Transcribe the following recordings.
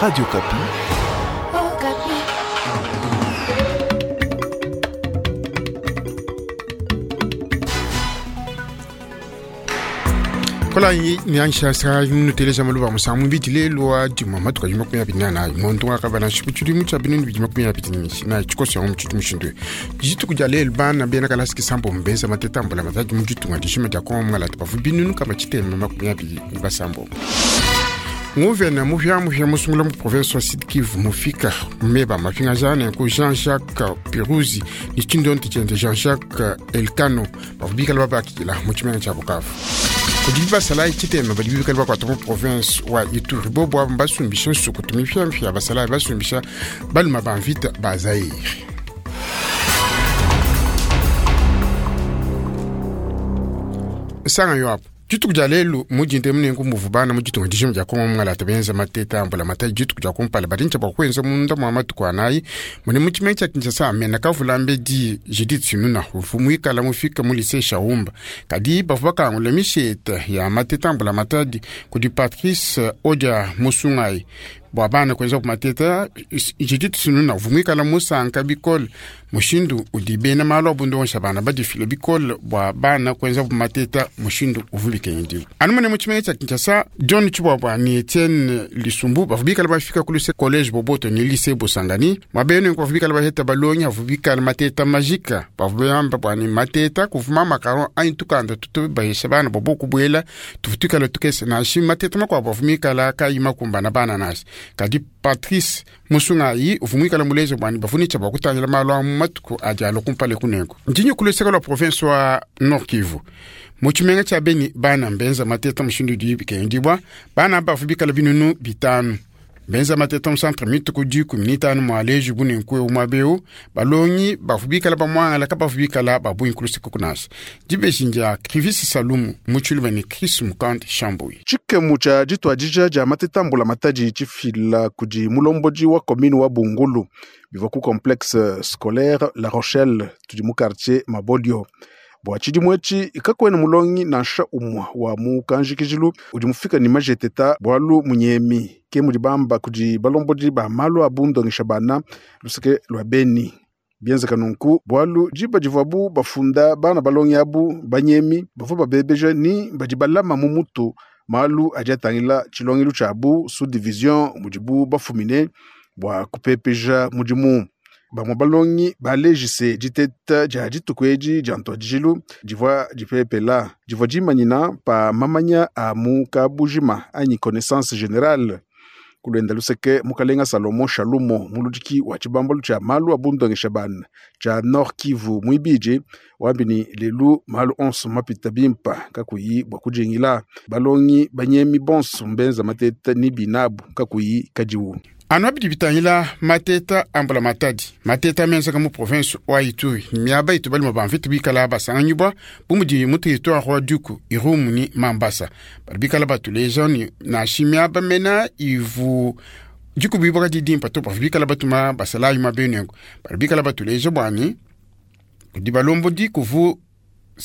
Radio Okapi. Okapi. Kola nianshasa nuteleja maluba musangu mubidi lelu wa dimua matuku adi 24 ngondo wa kabana shiku tshidimu tshia 2025 na tshikoso yangu mutshidi mushindu dituku dia lelu bana bena kalasi kisambombo benza mateta ambula matadi mu ditunga dishima dia kongo mungalata bavu binunu kama tshitema 26. Nguvena muhyamuhya musungula mu province wa Sud Kivu mufika meba mapinga jane ku Jean-Jacques Piruzi ni tshindonti tshiende Jean-Jacques Elkano bavu bikala babakila mu tshimenga tshia Bukavu. Kudi basalayi tshitema badi bikala bakuata mu province wa Ituri bobo abo basumbisha nsuku tumipyamphya basalayi basumbisha baluma ba mvita ba Zaire. Sanga yo apo dituku dia lelu mudinde munengu muvu bana mu ditunga dijima dia kongo mungalata benza mateta ambula matayi dituku dia kumpala badi ntshia bua kuenza munda mua matuku anayi mune mu tshimenga tshia Kinshasa amena kavula mbedi Judith Suminwa uvu muikala mufika mu lycée Shaumba kadi bavua bakangula misheta ya mateta ambula matadi kudi Patrice Odia Musungayi bua bana kuenza ku mateta. Judith Suminwa uvu muikala musanka bikole mushindu udi bena malu abundonsha bana badifile bikole bua bana kuenza ku mateta mushindu uvu bikendiwa anu mune mu tshimenga tshia Kinshasa. John Tshibwabwa ni Etienne Lisumbu bavua bikala bafika ku lycée collège Boboto ni lycée Bosangani mwabenu bavua bikala baheta balongi avua bikala mateta majika bavua bamba bua ni mateta kuvuma makaron anyi tukanda tutu bahesha bana bobo kubuela tuvu tuikala tukese nashi mateta makuabu avua mikala kayi makumbana bana nasi kadi Patrice Musungayi uvua muikala muleze bua ni bavua ne tshia bua kutangila malu a mu matuku adi alua kumpala kunenku ndinyi kuluseka lua province wa Nord Kivu mu tshimenga tshia Beni bana mbenza mateta mushindu udi bikendibwa bana bavua bikala binunu 5 benza mateta mu centre mituku 15 mua leju bunenku eu muaba balongi bavua bikala bamuangala kabavua bikala babungi kuluseka kunasa dibeji ndia Krivis Salumu mu tshiluba ne Chris Mukande Shambui. Tshikemu tshia dituadija dia mateta mbula matadi tshifila kudi mulombodi wa commune wa Bungulu bivua ku complexe scolaire La Rochelle tudi mu quartier Mabolio. Bua tshidimu etshi kakuena mulongi nansha umue wa mu kanjikijilu udi mufika ne majeteta bualu munyemi ke mudi bamba kudi balombodi ba malu a bundongesha bana luseke lua Beni. Bienzeka nunku bualu diba divuabu bafunda bana balongi abu banyemi bavua babebeja ni badi balama mu mutu malu adi atangila tshilongelu tshiabu sous division mudibu bafumine bua kupepeja mudimu. Bamue balongi balejise diteta dia dituku edi dia ntuadijilu divua dipepela divua dimanyina pa mamanya a mu kabujima anyi connaissance générale. Kulwenda luseke mukalenga Salomo Shalumo muludiki wa tshibambalu tshia malu a bundongesha bana tshia Nord Kivu muibidi wambi ni lelu malu onso mapita bimpa kakuyi bua kujingila balongi banyemi bonso mbenza mateta ni binabu kakuyi kadiwu. Anu abidi bitangila mateta ambula matadi mateta menzaka mu province wa Ituri miaba itu balima ba mvita bikala basanganyibwa bu mudi mu territoire wa Djugu Irumu ni Mambasa badi bikala batuleja ni nashi miaba mena ivu Djugu bibaka didimpa to bavu bikala batuma basalayi mabenengo badi bikala batuleja bwani kudi balombodi kuvu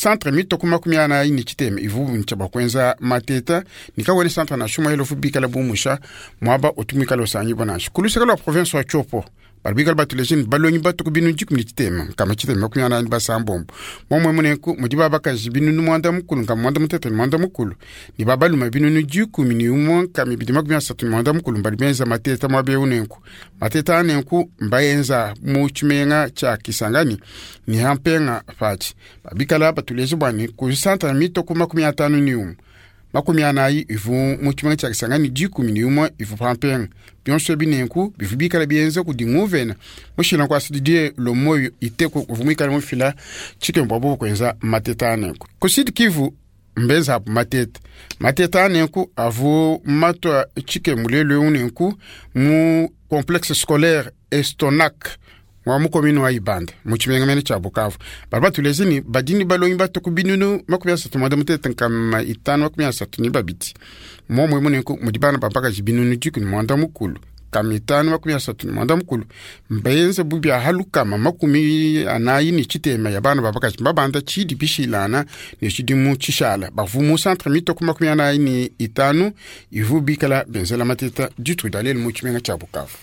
centre mitoko 44 ni tshitema ivu ntshia bua kuenza mateta nikawene centre na shuma elofu bikala bumusha muaba otumikala osangibwa nansha kuluseka lua province wa Tshopo badi bikala batuleja ni balongi batuku binu 13 nkama tshitema 46 momwe munenku mudi babakaji binunu 90 nkama 88 ni babaluma binunu 11 nkama 234 mbadi benza mateta muaba eu nenku mateta anenku mbaenza mu tshimenga tshia Kisangani ni hampenga fatshi babikala batuleja bwani ku centre mitoko 51 40 ivu mu tshimenga tshia Kisangani 11 ivu pampenga bionso binenku bivu bikala bienza kudi nguvena mushila kwa Didier Lomoyo iteko kuvu muikala mufila tshikembo abo kuenza mateta anenku ku Sud Kivu mbenza apo mateta mateta anenku avu matwa tshikembo lelu eu nenku mu complexe scolaire Estonac wa mu commune wa Ibanda mu tshimenga mene tshia Bukavu bali batulezi ni badini balongi batuku binunu 38 nkama 532 momwe munenku mudi bana bambakaji binunu 90. 534 mbenze bu bia halukama 43 ya bana babakaji babanda tshidi bishilana ne tshidimu tshishala bavu mu centre mitoko 45 ivu bikala benzela mateta ditu dalel mu tshimenga tshia Bukavu.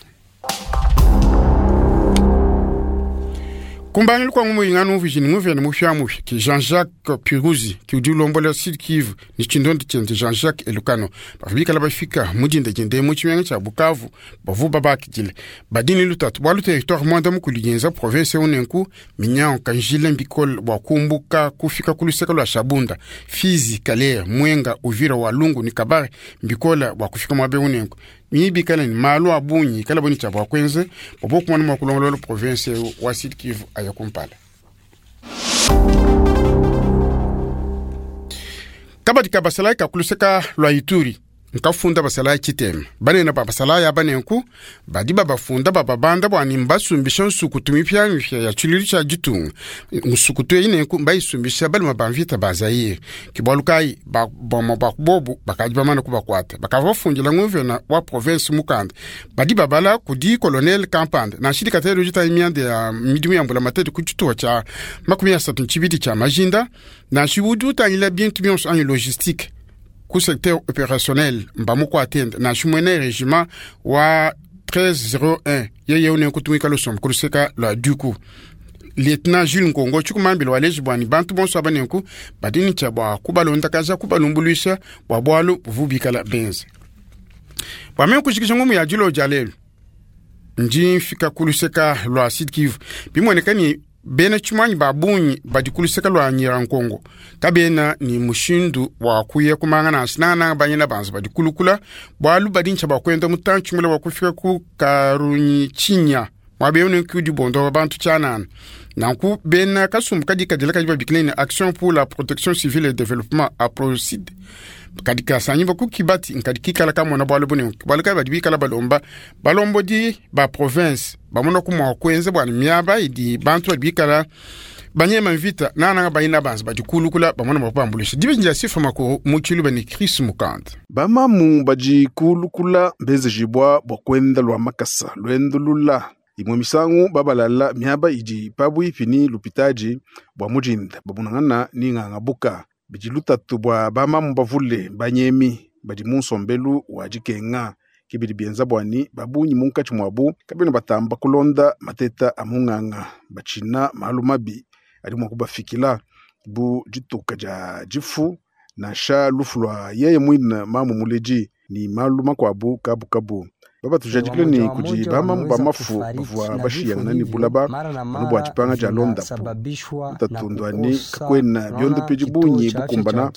Kumbangilu kwa ngumu inganu mvijini nguvene mufya ki Jean-Jacques Piruzi ki udi ulombola Sud Kivu ni tshindondi tshiende Jean-Jacques Elukano bavibikala bafika mudinda jende mu tshimenga tshia Bukavu bavu babakidile badini lutatu bwalu territoire mwanda mukulu yenza province unenku minyango kanjile mbikole bwa kumbuka kufika kuluseka lwa Shabunda Fizi Kalehe Mwenga Uvira Walungu ni Kabare mbikola bwa kufika mwabe unenku mibikala ni malu abunyi kala boni tshia bwakwenze bobokumwana mwa kulongolola province wa Sud Kivu aya kumpala. Kabadi ka basalai ka kuluseka lwa Ituri nkafunda basalai tshitema banene ba basalai abanenku badi babafunda bababanda bwani mbasumbisha nsukutu mipyamipya ya tshilulu tshia ditunga nsukutu eyi nenku mbayisumbisha baluma ba mvita ba Zaire kibwalu kayi bamwe ba kubobu bakadi bamana kubakwata bakava bafundila nguvena wa province mukanda badi babala kudi colonel Kampanda nansha katelo jita mianda ya midimu ya mbula matete ku tshituha tshia 32 tshia majinda nansha udi utangila bintu bionso anyi logistique ku secteur opérationnel mbamuko atende nansha mwene régiment wa 1301 yeye une kutumika lusombo kuluseka lwa duku lieutenant Jules Ngongo tshikumambila waleji bwani bantu bonso abanenku badini tshia bwa kubalondakaja kubalumbuluisha bwa bwalu buvubikala benze bwame kushikisha ngumu ya dilo dia lelu ndi mfika kuluseka lwa Sud Kivu bimoneka ni bena tshimanyi babunyi badi kuluseka lwa Nyirankongo kabena ni mushindu wa kuya kumanga na sinana banyina banza badi kulukula bwalu badi ntsha bakwenda mutantshi mule wa kufika ku Karunyi chinya mwabeyone kudi bondo bantu tshanana nanku bena kasumbu kadi kadila kadi babikile ni action pour la protection civile et développement aprocide kadi kasanyi baku kibati nkadi kikala kamona bwalu bune bwalu kayi badi bikala balomba balombodi ba province bamona kumwa kwenza bwani miaba idi bantu badi bikala banyema mvita nananga bayina banza badi kulukula bamona bakubambulisha dibinja sifa makuru mu tshiluba ni Chris Mukanda. Bamamu badi kulukula mbezejibwa bwa kwenda lwa makasa lwendo lula imwe misangu babalala miaba idi pabwipi ni lupitaji bwa mujinda babunangana ni ng'ang'abuka bidi lutatu bwa bamamu bavule banyemi badi mu nsombelu wa dikenga kibidi bienza bwani babunyi munkatshi mwabu kabena batamba kulonda mateta a mung'ang'a batshina malu mabi adi mua kubafikila bu dituka dia difu nansha lufu lwa yeye mwine mamu muledi ni malu makuabu kabukabu babatujadikile ni kudi bamamu bamafu bavua bashiyangana ni bulaba anu bua dipanga dia londapu utatundwani kakwena biondo pe dibunyi bukumbana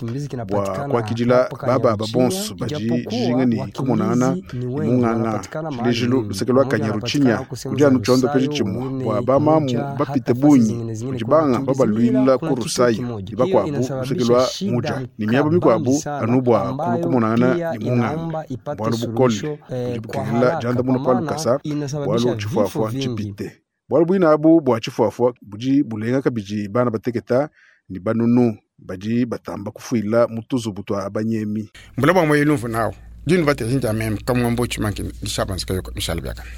bua kuakidila bababa bonso badi dijinga ni kumonangana ni mung'ang'a tshilejilu luseke lua Kanyaruchinya kudi anu tshiondo pe tshimue bua bamamu bapite bunyi kudi banga babaluila ku Rusayi ni bakuabu luseke lua Muja ni miaba mikuabu anu bua kulu kumonangana ni mung'anga bualu bukole budi bukengela janda muno pa lukasa bualu tshifuafua tshipite bualu buina abu bua tshifuafua budi bulenga kabidi bana bateketa ni banunu badi batamba kufuila mu tuzubu tua banyemi mbula bwa moyo lumvu nawo dinu batezinja meme kamwambo tshimanki dishabanzika yoko mishala biakana.